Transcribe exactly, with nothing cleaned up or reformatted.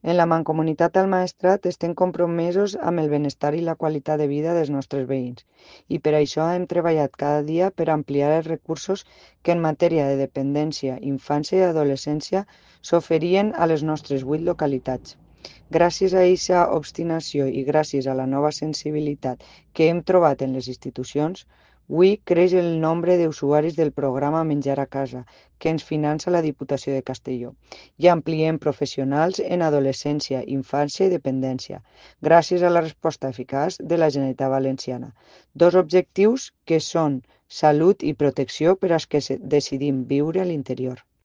En la Mancomunitat del Maestrat estem compromesos amb el benestar i la qualitat de vida dels nostres veïns i per això hem treballat cada dia per ampliar els recursos que en matèria de dependència, infància i adolescència s'oferien a les nostres vuit localitats. Gràcies a aquesta obstinació i gràcies a la nova sensibilitat que hem trobat en les institucions, avui creix el nombre d'usuaris del programa Menjar a Casa, que ens finança la Diputació de Castelló, i ampliem professionals en adolescència, infància i dependència, gràcies a la resposta eficaç de la Generalitat Valenciana. Dos objectius que són salut i protecció per als que decidim viure a l'interior.